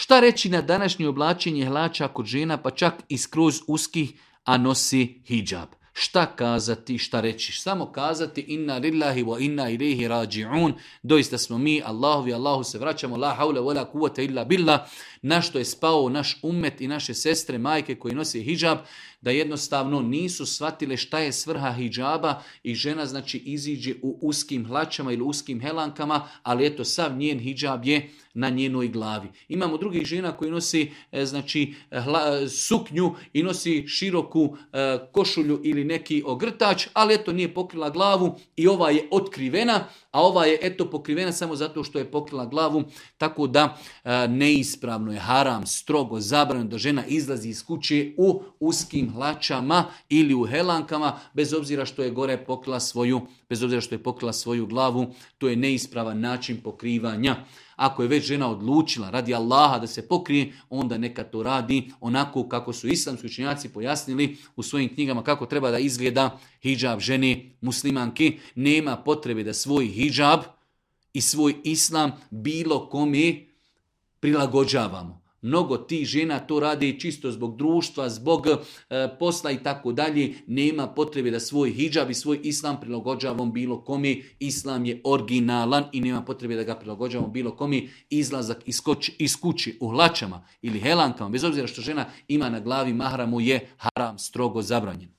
Šta reći na današnje oblačenje hlača kod žena, pa čak i skroz uskih, a nosi hidžab? Šta kazati, šta reći? Samo kazati inna lillahi wa inna ilaihi rađi'un. Doista smo mi, Allahu se vraćamo, la haula wa la kuvvete illa billah. Na što je spao naš ummet i naše sestre, majke koji nose hidžab, da jednostavno nisu shvatile šta je svrha hidžaba i žena znači iziđe u uskim hlačama ili uskim helankama, ali eto sav njen hidžab je na njenoj glavi. Imamo drugih žena koji nosi znači suknju i nosi široku košulju ili neki ogrtač, ali eto nije pokrila glavu i ova je otkrivena, a ova je eto pokrivena samo zato što je pokrila glavu, tako da neispravno je, haram, strogo zabranjeno da žena izlazi iz kuće u uskim hlačama ili u helankama, bez obzira što je gore pokrila svoju glavu, to je neispravan način pokrivanja. Ako je već žena odlučila radi Allaha da se pokrije, onda neka to radi onako kako su islamski učenjaci pojasnili u svojim knjigama kako treba da izgleda hidžab žene muslimanke. Nema potrebe da svoj hidžab i svoj islam bilo kome prilagođavamo. Mnogo tih žena to radi čisto zbog društva, zbog posla i tako dalje. Nema potrebe da svoj hidžab i svoj islam prilagođavamo bilo kome. Islam je originalan i nema potrebe da ga prilagođavamo bilo kome. Izlazak iz kuće u hlačama ili helankama, bez obzira što žena ima na glavi mahramu, je haram, strogo zabranjen.